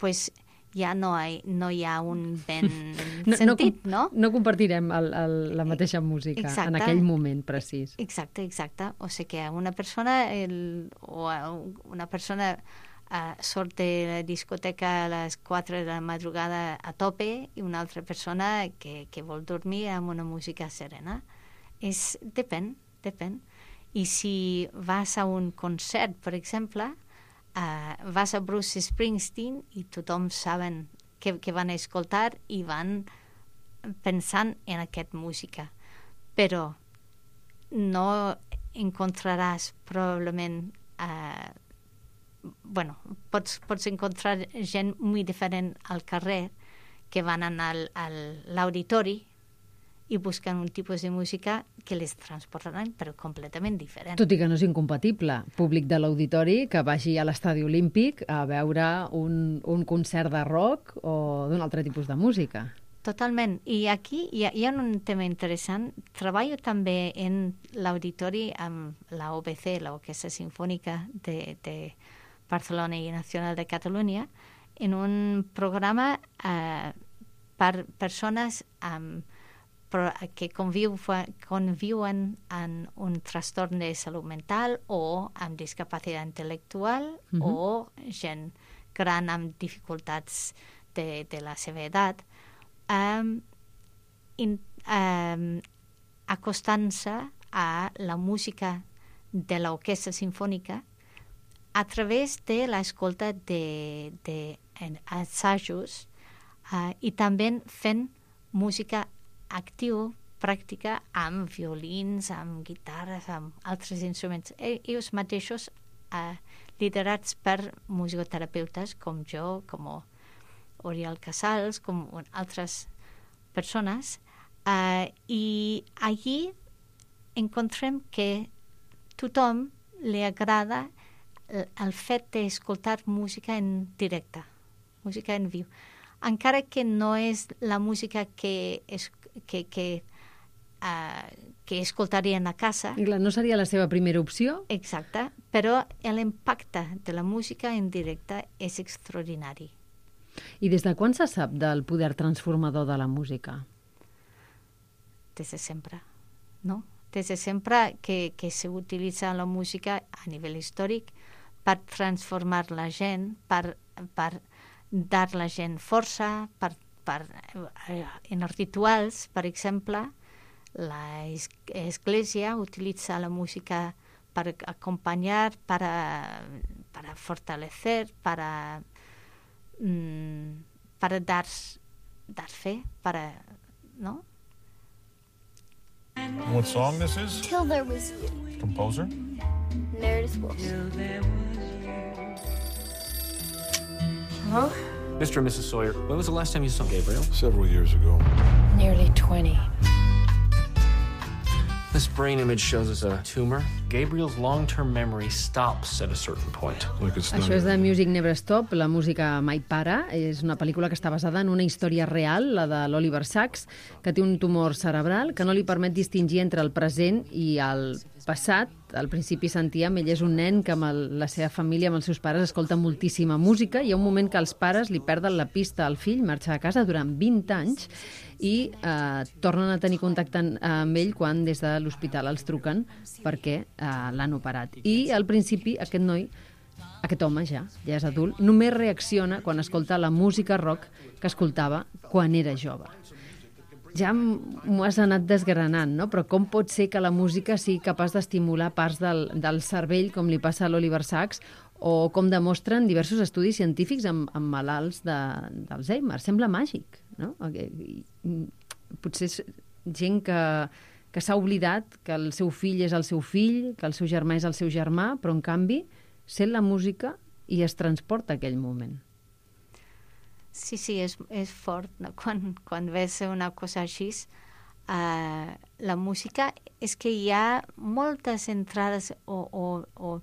[SPEAKER 3] pues ja no hi, no hi ha un ben
[SPEAKER 2] no,
[SPEAKER 3] sentit,
[SPEAKER 2] no?
[SPEAKER 3] No,
[SPEAKER 2] no compartirem el, el, la mateixa música exacte. En aquell moment precís.
[SPEAKER 3] Exacte, exacte. O sigui que una persona el, o una persona uh, sort de la discoteca a les quatre de la madrugada a tope i una altra persona que, que vol dormir amb una música serena. És, depèn, depèn. I si vas a un concert, per exemple, uh, vas a Bruce Springsteen i tothom saben què, què van escoltar i van pensant en aquesta música. Però no encontraràs probablement... Uh, bueno, pots, pots encontrar gent molt diferent al carrer que van anar al, a l'auditori i busquen un tipus de música que les transportaran, però completament diferent.
[SPEAKER 2] Tot i que no és incompatible. Públic de l'auditori que vagi a l'estadi olímpic a veure un, un concert de rock o d'un altre tipus de música.
[SPEAKER 3] Totalment. I aquí hi ha, hi ha un tema interessant. Treballo també en l'auditori amb la O B C, l'Orquestra Sinfònica de, de Barcelona i Nacional de Catalunya, en un programa eh, per persones amb que conviu, conviuen en un trastorn de salut mental o amb discapacitat intel·lectual uh-huh. o gent gran amb dificultats de, de la seva edat. Um, in, eh, acostant-se a la música de l'orquestra sinfònica a través de l'escolta de, de assajos uh, i també fent música activa, pràctica, amb violins, amb guitarres, amb altres instruments. Ells mateixos, uh, liderats per musicoterapeutes com jo, com Oriol Casals, com altres persones, uh, i allí encontrem que tothom li agrada el fet d'escoltar música en directe, música en viu. Encara que no és la música que, es, que, que, uh, que escoltarien a casa.
[SPEAKER 2] I clar, no seria la seva primera opció?
[SPEAKER 3] Exacte, però l'impacte de la música en directe és extraordinari.
[SPEAKER 2] I des de quan se sap del poder transformador de la música?
[SPEAKER 3] Des de sempre, no? Des de sempre que, que s'utilitza la música a nivell històric per transformar la gent, per, per dar la gent força, per, per, en els rituals, per exemple, l'Església utilitza la música per acompanyar, per, per fortalecer, per, per dar, dar fe, per, no?
[SPEAKER 6] What song this is?
[SPEAKER 7] Till There Was You.
[SPEAKER 6] Composer?
[SPEAKER 7] Meredith Willson.
[SPEAKER 8] Hello? Mister and Missus Sawyer, when was the last time you saw Gabriel?
[SPEAKER 6] Several years ago.
[SPEAKER 7] Nearly twenty.
[SPEAKER 8] This brain image shows us a tumor. Gabriel's long-term memory stops at a certain point.
[SPEAKER 6] Like it's
[SPEAKER 2] Això és de Music Never Stop, la música mai para. És una pel·lícula que està basada en una història real, la de l'Oliver Sacks, que té un tumor cerebral que no li permet distingir entre el present i el passat. Al principi sentíem, ell és un nen que amb el, la seva família, amb els seus pares, escolta moltíssima música. Hi ha un moment que els pares li perden la pista al fill, marxa de casa durant vint anys i eh, tornen a tenir contacte amb ell quan des de l'hospital els truquen perquè eh, l'han operat. I al principi aquest noi, aquest home ja, ja és adult, només reacciona quan escolta la música rock que escoltava quan era jove. Ja m'ho has anat desgranant, no? Però com pot ser que la música sigui capaç d'estimular parts del, del cervell, com li passa a l'Oliver Sacks, o com demostren diversos estudis científics amb, amb malalts d'Alzheimer? Sembla màgic, no? Potser és gent que, que s'ha oblidat que el seu fill és el seu fill, que el seu germà és el seu germà, però en canvi sent la música i es transporta a aquell moment.
[SPEAKER 3] Sí, sí, és, és fort. No? Quan, quan ves una cosa així, uh, la música és que hi ha moltes entrades o, o, o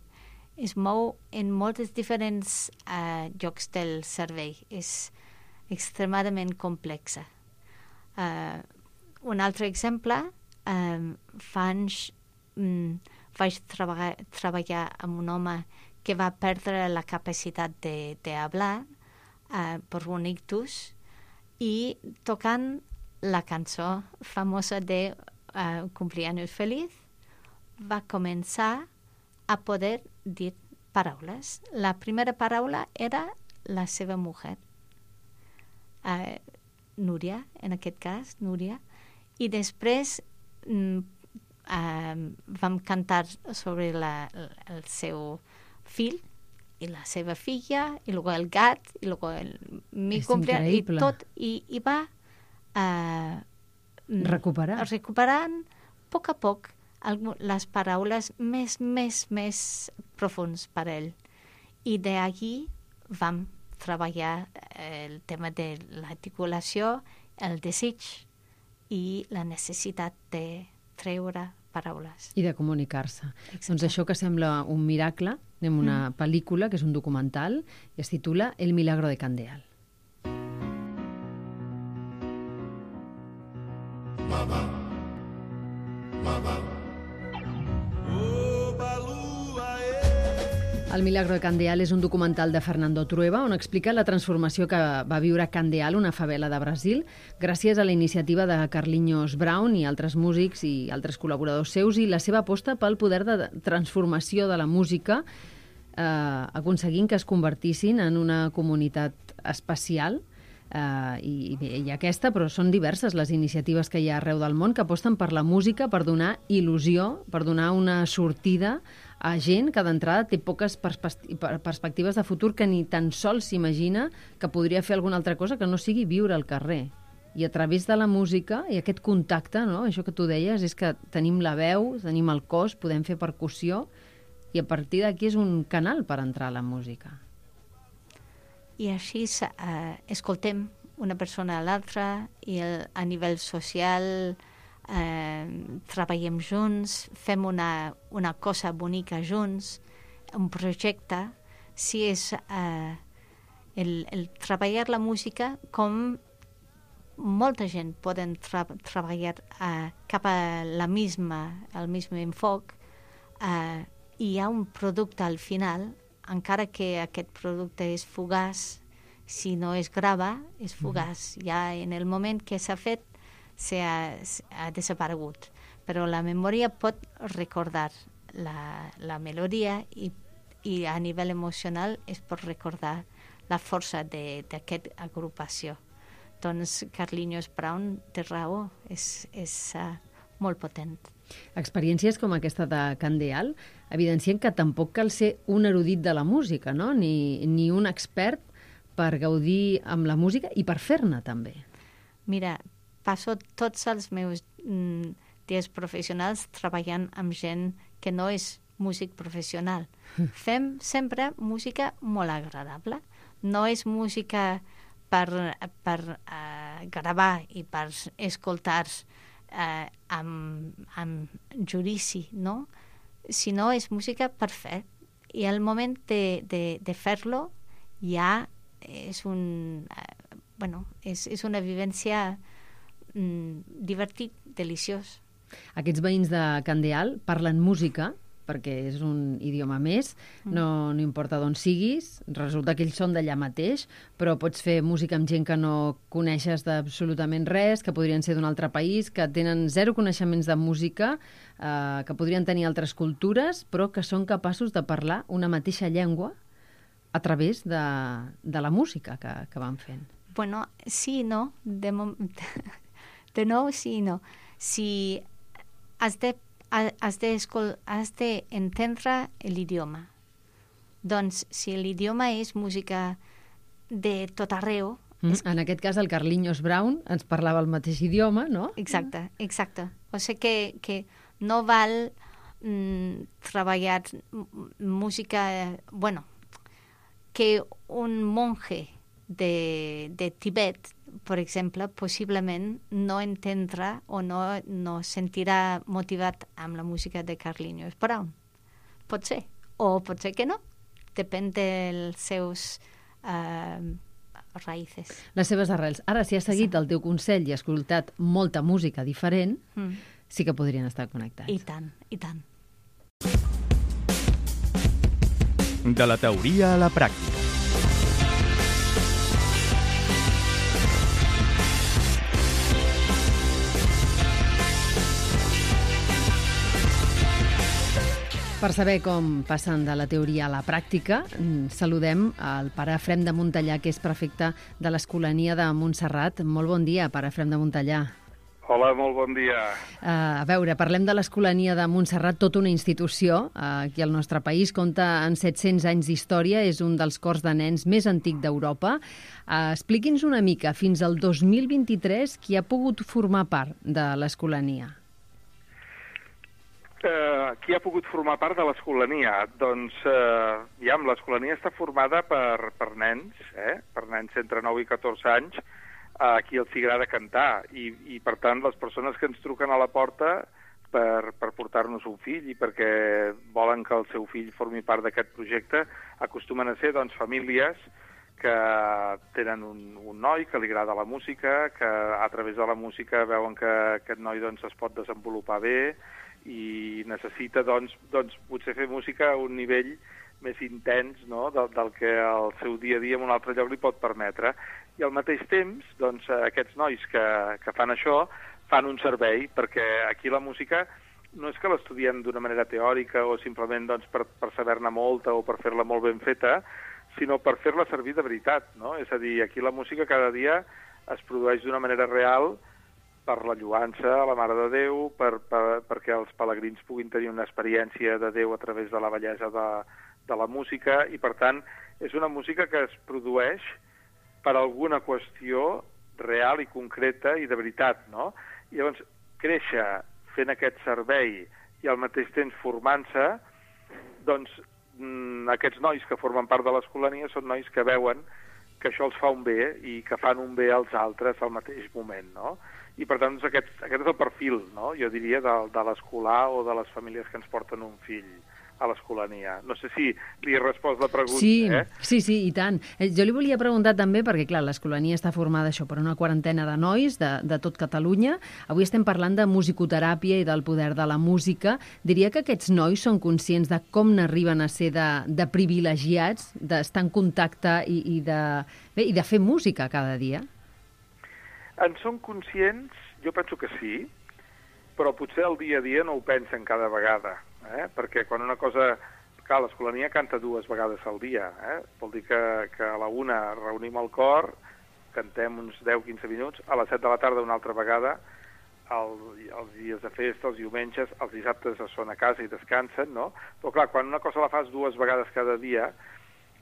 [SPEAKER 3] es mou en molts diferents uh, llocs del cervell. És extremadament complexa. Uh, un altre exemple, um, fa anys um, vaig treballar, treballar amb un home que va perdre la capacitat de, de hablar Uh, per un ictus i tocant la cançó famosa de uh, Cumpleaños Feliz va començar a poder dir paraules. La primera paraula era la seva mujer, uh, Núria, en aquest cas, Núria, i després mm, uh, vam cantar sobre la, el seu fill i la seva filla, i luego el gat, i luego el mi cumpleaños, i tot, i, i va uh,
[SPEAKER 2] recuperar.
[SPEAKER 3] recuperant a poc a poc les paraules més, més, més profunds per ell. I d'allí vam treballar el tema de l'articulació, el desig i la necessitat de treure paraules.
[SPEAKER 2] I de comunicar-se. Doncs això que sembla un miracle, anem a una mm. pel·lícula que és un documental i es titula El milagro de Candeal. Mama, mama. El milagro de Candeal és un documental de Fernando Trueba on explica la transformació que va viure Candeal, una favela de Brasil, gràcies a la iniciativa de Carlinhos Brown i altres músics i altres col·laboradors seus i la seva aposta pel poder de transformació de la música, eh, aconseguint que es convertissin en una comunitat especial Uh, i, i aquesta, però són diverses les iniciatives que hi ha arreu del món que aposten per la música, per donar il·lusió, per donar una sortida a gent que d'entrada té poques perspectives de futur, que ni tan sols s'imagina que podria fer alguna altra cosa que no sigui viure al carrer. I a través de la música i aquest contacte, no? Això que tu deies, és que tenim la veu, tenim el cos, podem fer percussió, i a partir d'aquí és un canal per entrar a la música.
[SPEAKER 3] I així eh, escoltem una persona a l'altra i el, a nivell social eh, treballem junts, fem una, una cosa bonica junts, un projecte. Si és eh, el, el treballar la música com molta gent poden tra treballar eh, cap a la misma, el mismo enfoc, eh, i hi ha un producte al final, encara que aquest producte és fugaç, si no es grava, és fugaç. Mm-hmm. Ja en el moment que s'ha fet, s'ha, ha desaparegut. Però la memòria pot recordar la, la melodia i, i a nivell emocional es pot recordar la força d'aquesta agrupació. Doncs Carlinhos Brown té raó, és, és uh, molt potent.
[SPEAKER 2] Experiències com aquesta de Candeal evidencien que tampoc cal ser un erudit de la música, no? Ni, ni un expert per gaudir amb la música i per fer-ne també.
[SPEAKER 3] Mira, passo tots els meus mm, dies professionals treballant amb gent que no és músic professional. Fem sempre música molt agradable. No és música per, per uh, gravar i per escoltar uh, amb, amb judici, no? Sinó és música per fer. I al moment de, de, de fer-lo ja és, un, uh, bueno, és, és una vivència mm, divertit, deliciós.
[SPEAKER 2] Aquests veïns de Candeal parlen música, perquè és un idioma més, no, no importa d'on siguis, resulta que ells són d'allà mateix, però pots fer música amb gent que no coneixes d'absolutament res, que podrien ser d'un altre país, que tenen zero coneixements de música, eh, que podrien tenir altres cultures, però que són capaços de parlar una mateixa llengua a través de, de la música que, que van fent.
[SPEAKER 3] Bueno, sí i no. De, de nou, sí i no. Si has de has d'entendre l'idioma. Doncs, si l'idioma és música de tot arreu...
[SPEAKER 2] Mm,
[SPEAKER 3] és...
[SPEAKER 2] En aquest cas, el Carlinhos Brown ens parlava el mateix idioma, no?
[SPEAKER 3] Exacte, exacte. O sigui que, que no val mm, treballar música... Bueno, que un monje de, de Tibet, per exemple, possiblement no entendrà o no, no sentirà motivat amb la música de Carlinhos Brown. Pot ser. O pot ser que no. Depèn dels seus uh, raïces.
[SPEAKER 2] Les seves arrels. Ara, si has seguit el teu consell i has escoltat molta música diferent, mm. sí que podrien estar connectats.
[SPEAKER 3] I tant, i tant.
[SPEAKER 1] De la teoria a la pràctica.
[SPEAKER 2] Per saber com passen de la teoria a la pràctica, saludem el pare Efrem de Montellà, que és prefecte de l'Escolania de Montserrat. Molt bon dia, pare Efrem de Montellà.
[SPEAKER 9] Hola, molt bon dia.
[SPEAKER 2] Uh, a veure, parlem de l'Escolania de Montserrat, tota una institució. Uh, aquí al nostre país compta en set-cents anys d'història, és un dels cors de nens més antic d'Europa. Uh, expliqui'ns una mica, fins al dos mil vint-i-tres, qui ha pogut formar part de l'Escolania?
[SPEAKER 9] Uh, qui ha pogut formar part de l'Escolania? Doncs, uh, ja, l'Escolania està formada per, per nens, eh? per nens entre nou i catorze anys, uh, a qui els agrada cantar, i, i per tant les persones que ens truquen a la porta per, per portar-nos un fill i perquè volen que el seu fill formi part d'aquest projecte, acostumen a ser doncs, famílies que tenen un, un noi que li agrada la música, que a través de la música veuen que aquest noi doncs, es pot desenvolupar bé, i necessita, doncs, doncs, potser fer música a un nivell més intens, no?, del, del que el seu dia a dia en un altre lloc li pot permetre. I al mateix temps, doncs, aquests nois que, que fan això fan un servei, perquè aquí la música no és que l'estudiem d'una manera teòrica o simplement doncs, per, per saber-ne molta o per fer-la molt ben feta, sinó per fer-la servir de veritat, no? És a dir, aquí la música cada dia es produeix d'una manera real per la lloança a la Mare de Déu, per, per, perquè els pelegrins puguin tenir una experiència de Déu a través de la bellesa de, de la música, i per tant és una música que es produeix per alguna qüestió real i concreta i de veritat, no? I llavors, créixer fent aquest servei i al mateix temps formant-se, doncs mmm, aquests nois que formen part de l'Escolania són nois que veuen que això els fa un bé i que fan un bé als altres al mateix moment, no? I per tant, doncs, aquest, aquest és el perfil, no? Jo diria, de, de l'escolar o de les famílies que ens porten un fill a l'Escolania. No sé si li he respost la pregunta,
[SPEAKER 2] sí,
[SPEAKER 9] eh?
[SPEAKER 2] Sí, sí, i tant. Jo li volia preguntar també, perquè clar, l'Escolania està formada això per una quarantena de nois de, de tot Catalunya. Avui estem parlant de musicoteràpia i del poder de la música. Diria que aquests nois són conscients de com n'arriben a ser de, de privilegiats, d'estar en contacte i, i, de, bé, i de fer música cada dia?
[SPEAKER 9] En són conscients? Jo penso que sí, però potser el dia a dia no ho pensen cada vegada, eh? Perquè quan una cosa... Clar, l'Escolania canta dues vegades al dia, eh? Vol dir que, que a la una reunim el cor, cantem uns deu quinze minuts, a les set de la tarda una altra vegada, el, els dies de festa, els diumenges, els dissabtes són a casa i descansen, no? Però clar, quan una cosa la fas dues vegades cada dia,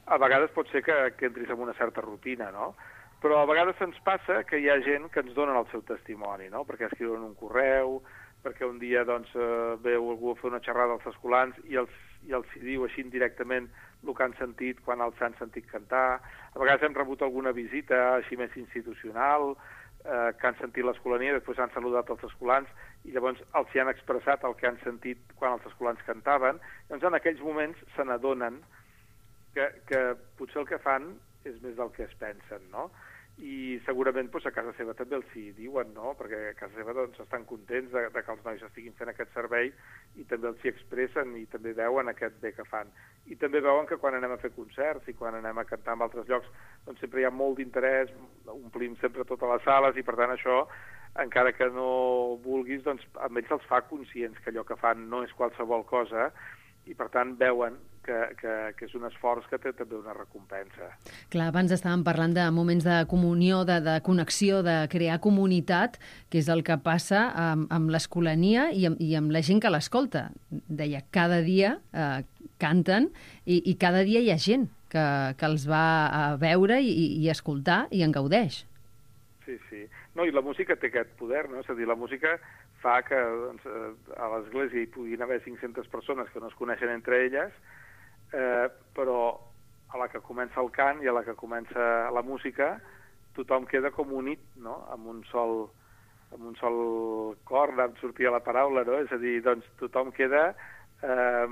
[SPEAKER 9] a vegades pot ser que, que entris en una certa rutina, no? Però a vegades ens passa que hi ha gent que ens donen el seu testimoni, no? Perquè escriuen un correu, perquè un dia doncs, eh, veu algú a fer una xerrada als escolans i els, i els diu així indirectament el que han sentit quan els han sentit cantar. A vegades hem rebut alguna visita així més institucional, eh, que han sentit l'Escolania, després han saludat els escolans i llavors els hi han expressat el que han sentit quan els escolans cantaven. Llavors en aquells moments se n'adonen que, que potser el que fan és més del que es pensen, no? I segurament doncs, a casa seva també els hi diuen, no? Perquè a casa seva doncs, estan contents de, de que els nois estiguin fent aquest servei i també els hi expressen i també veuen aquest bé que fan. I també veuen que quan anem a fer concerts i quan anem a cantar en altres llocs doncs sempre hi ha molt d'interès, omplim sempre totes les sales i per tant això, encara que no vulguis, doncs a ells els fa conscients que allò que fan no és qualsevol cosa i per tant veuen que, que, que és un esforç que té també una recompensa.
[SPEAKER 2] Clar, abans estàvem parlant de moments de comunió, de, de connexió, de crear comunitat, que és el que passa amb, amb l'Escolania i, amb, i amb la gent que l'escolta. Deia, cada dia eh, canten i, i cada dia hi ha gent que, que els va a veure i, i escoltar i en gaudeix.
[SPEAKER 9] Sí, sí. No, i la música té aquest poder, no? És a dir, la música fa que doncs, a l'església hi puguin haver cinc-centes persones que no es coneixen entre elles, eh, però a la que comença el cant i a la que comença la música tothom queda com unit, no? Amb un sol, amb un sol cor, em sortia la paraula, no? És a dir, doncs tothom queda eh,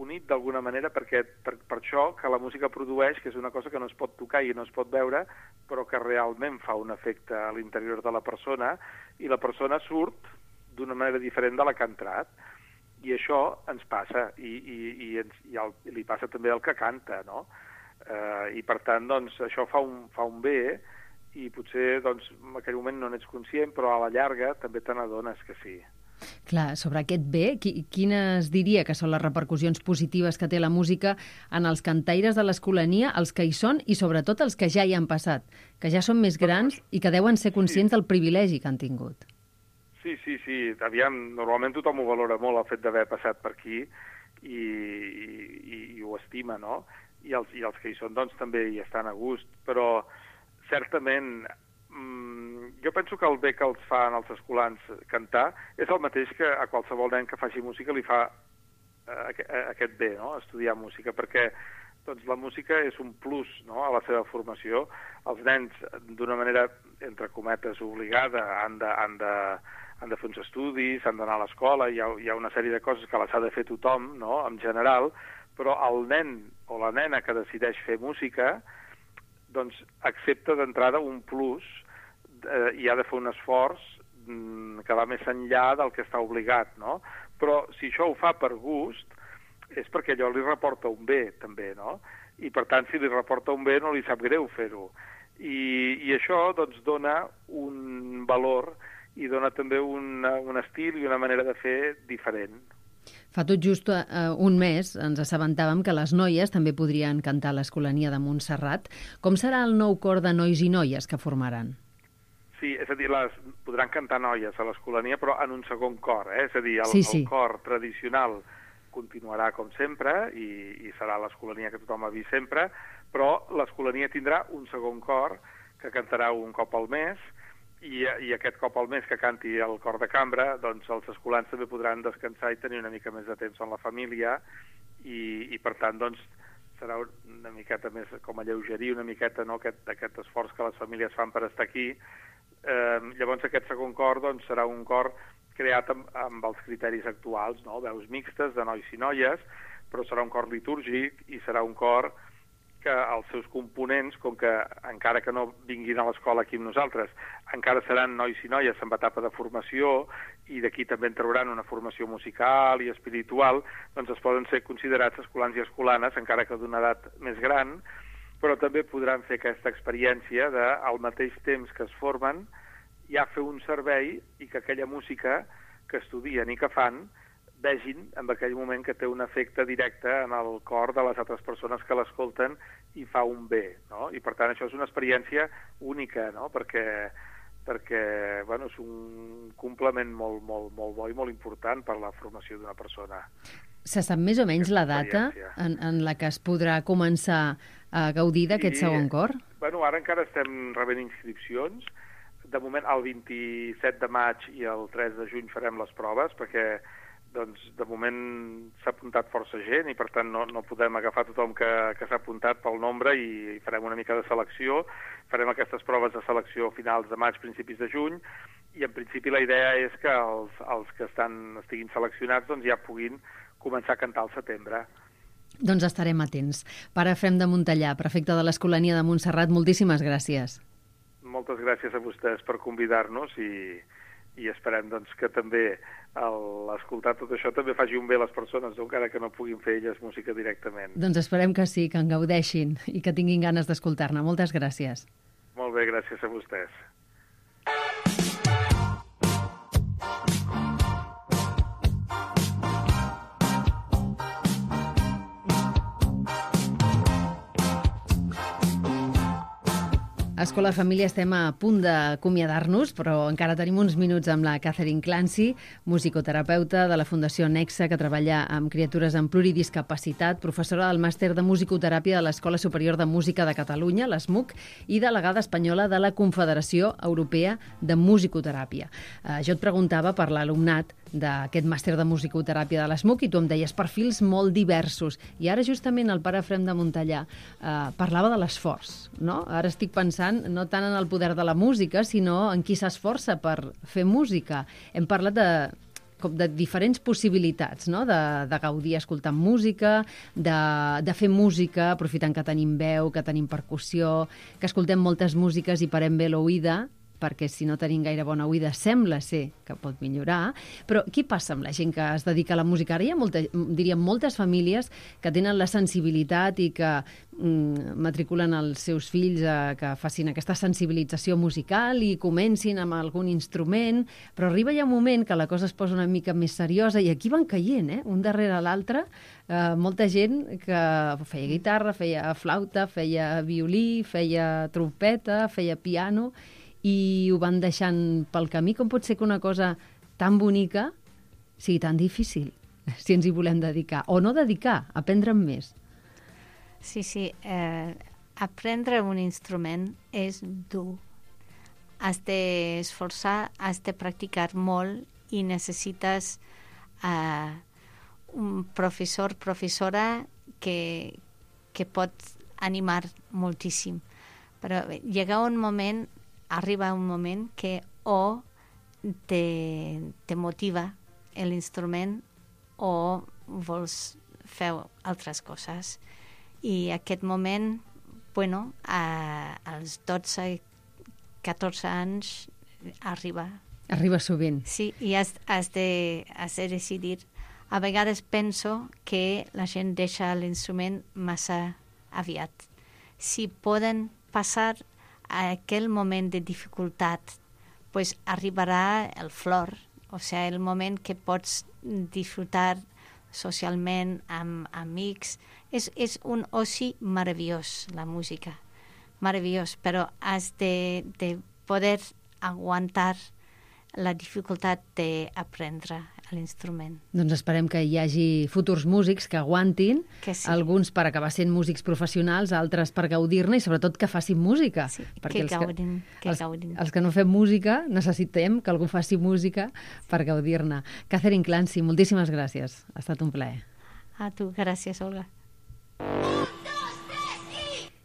[SPEAKER 9] unit d'alguna manera perquè per, per això que la música produeix, que és una cosa que no es pot tocar i no es pot veure, però que realment fa un efecte a l'interior de la persona i la persona surt d'una manera diferent de la que ha entrat. I això ens passa i, i, i, ens, i, el, i li passa també al que canta, no? Eh, I per tant, doncs, això fa un, fa un bé i potser doncs, en aquell moment no n'ets conscient, però a la llarga també te n'adones que sí.
[SPEAKER 2] Clar, sobre aquest bé, quines diria que són les repercussions positives que té la música en els cantaires de l'Escolania, els que hi són i sobretot els que ja hi han passat, que ja són més grans i que deuen ser conscients sí. del privilegi que han tingut?
[SPEAKER 9] Sí, sí, sí. Aviam, normalment tothom ho valora molt, el fet d'haver passat per aquí i, i, i ho estima, no? I els, i els que hi són, doncs, també hi estan a gust, però certament mmm, jo penso que el bé que els fan els escolans cantar és el mateix que a qualsevol nen que faci música li fa eh, aquest bé, no? Estudiar música, perquè doncs, la música és un plus, no?, a la seva formació. Els nens, d'una manera, entre cometes, obligada, han de, han de, han de fer uns estudis, han d'anar a l'escola, hi, ha, hi ha una sèrie de coses que les ha de fer tothom, no?, en general, però el nen o la nena que decideix fer música doncs accepta d'entrada un plus eh, i ha de fer un esforç mm, que va més enllà del que està obligat, no? Però si això ho fa per gust, és perquè allò li reporta un bé, també, no? I, per tant, si li reporta un bé, no li sap greu fer-ho. I, i això, doncs, dona un valor i dona també una, un estil i una manera de fer diferent.
[SPEAKER 2] Fa tot just uh, un mes ens assabentàvem que les noies també podrien cantar a l'Escolania de Montserrat. Com serà el nou cor de nois i noies que formaran?
[SPEAKER 9] Sí, és a dir, les, podran cantar noies a l'Escolania, però en un segon cor, eh? És a dir, el,
[SPEAKER 2] sí, sí.
[SPEAKER 9] el cor tradicional continuarà com sempre i, i serà l'Escolania que tothom ha vist sempre, però l'Escolania tindrà un segon cor que cantarà un cop al mes i, i aquest cop al mes que canti el cor de cambra, doncs els escolans també podran descansar i tenir una mica més de temps amb la família i, i per tant, doncs, serà una miqueta més com alleugerir una miqueta, no?, aquest, aquest esforç que les famílies fan per estar aquí. Eh, llavors aquest segon cor doncs, serà un cor creat amb, amb els criteris actuals, no? Veus mixtes de nois i noies, però serà un cor litúrgic i serà un cor que els seus components, com que encara que no vinguin a l'escola aquí amb nosaltres, encara seran nois i noies en etapa de formació i d'aquí també en trauran una formació musical i espiritual, doncs es poden ser considerats escolans i escolanes, encara que d'una edat més gran, però també podran fer aquesta experiència de, al mateix temps que es formen, ja fer un servei i que aquella música que estudien i que fan vegin en aquell moment que té un efecte directe en el cor de les altres persones que l'escolten i fa un bé, no? I per tant això és una experiència única, no? Perquè, perquè bueno, és un complement molt, molt, molt bo i molt important per la formació d'una persona.
[SPEAKER 2] Se sap més o menys la data en, en la que es podrà començar a gaudir d'aquest sí, segon cor?
[SPEAKER 9] Bueno, ara encara estem rebent inscripcions. De moment, el vint-i-set de maig i el tres de juny farem les proves, perquè doncs, de moment s'ha apuntat força gent i per tant no, no podem agafar tothom que, que s'ha apuntat pel nombre i, i farem una mica de selecció. Farem aquestes proves de selecció a finals de maig, principis de juny, i en principi la idea és que els, els que estan, estiguin seleccionats doncs, ja puguin començar a cantar al setembre.
[SPEAKER 2] Doncs estarem atents. Pare Efrem de Montellà, prefecte de l'Escolania de Montserrat, moltíssimes gràcies.
[SPEAKER 9] Moltes gràcies a vostès per convidar-nos i, i esperem doncs, que també l'escoltar tot això també faci un bé a les persones, encara que no puguin fer elles música directament.
[SPEAKER 2] Doncs esperem que sí, que en gaudeixin i que tinguin ganes d'escoltar-ne. Moltes gràcies.
[SPEAKER 9] Molt bé, gràcies a vostès.
[SPEAKER 2] Escola Família, estem a punt d'acomiadar-nos, però encara tenim uns minuts amb la Catherine Clancy, musicoterapeuta de la Fundació Nexa, que treballa amb criatures amb pluridiscapacitat, professora del màster de musicoteràpia de l'Escola Superior de Música de Catalunya, l'ESMUC, i delegada espanyola de la Confederació Europea de Musicoteràpia. Eh, jo et preguntava per l'alumnat d'aquest màster de musicoteràpia de l'ESMUC i tu em deies perfils molt diversos. I ara justament el pare Efrem de Montellà eh, parlava de l'esforç, no? Ara estic pensant no tant en el poder de la música, sinó en qui s'esforça per fer música. Hem parlat de, com de diferents possibilitats, no? de, de gaudir escoltant música, de, de fer música aprofitant que tenim veu, que tenim percussió, que escoltem moltes músiques i parem bé l'oïda, perquè si no tenim gaire bona oïda sembla ser que pot millorar, però què passa amb la gent que es dedica a la música? Ara hi ha molta, diríem, moltes famílies que tenen la sensibilitat i que mm, matriculen els seus fills a que facin aquesta sensibilització musical i comencin amb algun instrument, però arriba ja un moment que la cosa es posa una mica més seriosa i aquí van caient, eh? Un darrere l'altre, eh, molta gent que feia guitarra, feia flauta, feia violí, feia trompeta, feia piano, i ho van deixant pel camí. Com pot ser que una cosa tan bonica sigui tan difícil, si ens hi volem dedicar? O no dedicar, aprendre'n més.
[SPEAKER 3] Sí, sí. Eh, aprendre un instrument és dur. Has d'esforçar, has de practicar molt i necessites eh, un professor, professora que, que pot animar moltíssim. Però llega un moment arriba un moment que o te, te motiva l'instrument o vols fer altres coses. I aquest moment, bueno, a, als dotze, catorze anys arriba.
[SPEAKER 2] Arriba sovint.
[SPEAKER 3] Sí, i has, has, de, has de decidir. A vegades penso que la gent deixa l'instrument massa aviat. Si poden passar a aquell moment de dificultat, pues arribarà el flor, o sigui, el moment que pots disfrutar socialment, amb amics. És, és un oci meravellós, la música. Meravellós, però has de, de poder aguantar la dificultat d'aprendre l'instrument.
[SPEAKER 2] Doncs esperem que hi hagi futurs músics que aguantin,
[SPEAKER 3] que sí.
[SPEAKER 2] Alguns per acabar sent músics professionals, altres per gaudir-ne i sobretot que facin música.
[SPEAKER 3] Sí,
[SPEAKER 2] perquè
[SPEAKER 3] que gaudin,
[SPEAKER 2] que,
[SPEAKER 3] que
[SPEAKER 2] els,
[SPEAKER 3] gaudin.
[SPEAKER 2] Els que no fem música necessitem que algú faci música per gaudir-ne. Catherine Clancy, moltíssimes gràcies. Ha estat un plaer.
[SPEAKER 3] A tu, gràcies, Olga.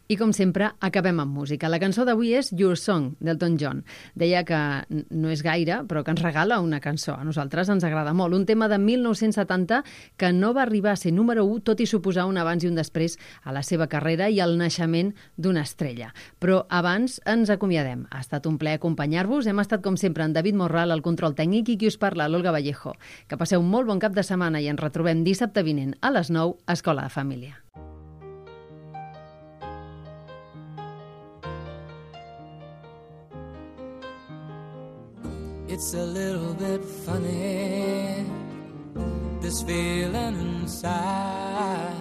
[SPEAKER 2] I com sempre, acabem amb música. La cançó d'avui és Your Song, d'Elton John. Deia que no és gaire, però que ens regala una cançó. A nosaltres ens agrada molt. Un tema de mil nou-cents setanta que no va arribar a ser número u, tot i suposar un abans i un després a la seva carrera i el naixement d'una estrella. Però abans ens acomiadem. Ha estat un plaer acompanyar-vos. Hem estat, com sempre, en David Morral, al control tècnic, i qui us parla, l'Olga Vallejo. Que passeu un molt bon cap de setmana i ens retrobem dissabte vinent a les nou a Escola de Família.
[SPEAKER 10] It's a little bit funny, this feeling inside.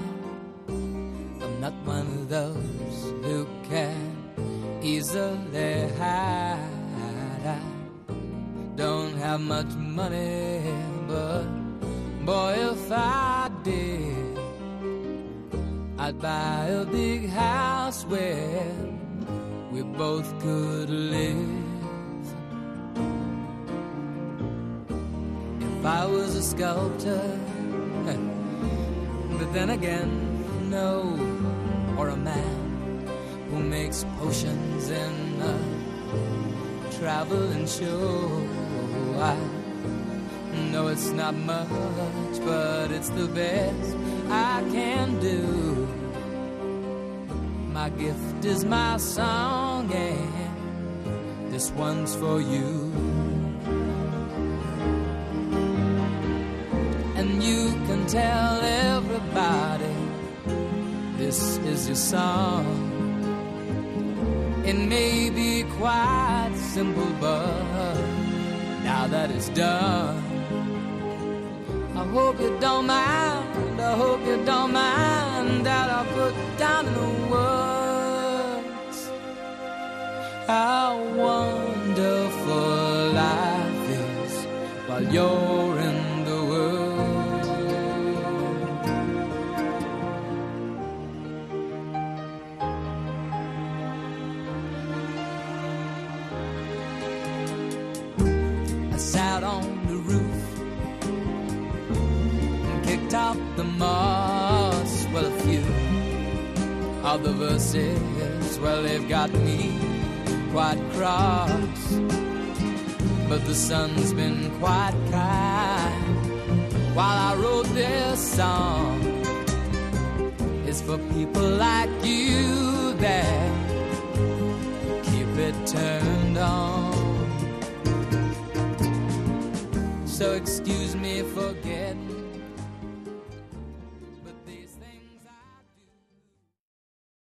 [SPEAKER 10] I'm not one of those who can easily hide. I don't have much money, but boy, if I did, I'd buy a big house where we both could live. If I was a sculptor, but then again, no, or a man who makes potions in a traveling show. I know it's not much, but it's the best I can do. My gift is my song, and this one's for you. And you can tell everybody this is your song. It may be quite simple, but now that it's done, I hope you don't mind, I hope you don't mind that I put down in the words how wonderful life is while you're in the world. I sat on the roof and kicked out the moss. Well, a few of the verses, well, they've got me quite cross. But the sun's been quite kind while I wrote this song. It's for people like you that keep it turned on. So excuse me for getting